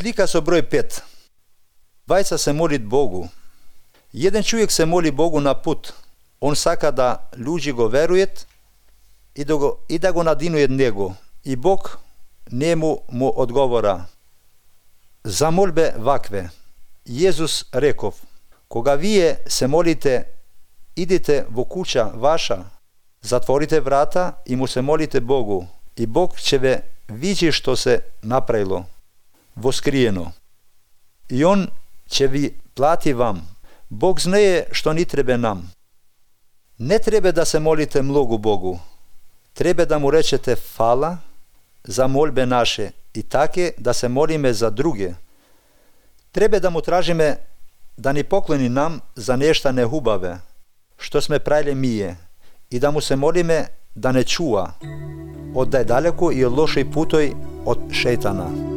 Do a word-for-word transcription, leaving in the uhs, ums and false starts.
Slika so broj pet. Dvajca se molit Bogu. Jedan čovjek se moli Bogu na put. On saka da ljudi go verujet i da go, i da go nadinujet njego. I Bog njemu mu odgovora. Za molbe vakve. Jezus rekov, koga vije se molite, idite vo kuća vaša, zatvorite vrata i mu se molite Bogu. I Bog će ve vidjeti što se napravilo, voskrijeno. I on će vi plati vam. Bog znaje što ni trebe nam. Ne treba da se molite mnogo Bogu. Treba da mu rečete hvala za molbe naše i take da se molime za druge. Treba da mu tražime da ni pokloni nam za nešto nehubave, što sme pravili mije, i da mu se molime da ne čuva, od da je daleko i od loših putoj od šejtana.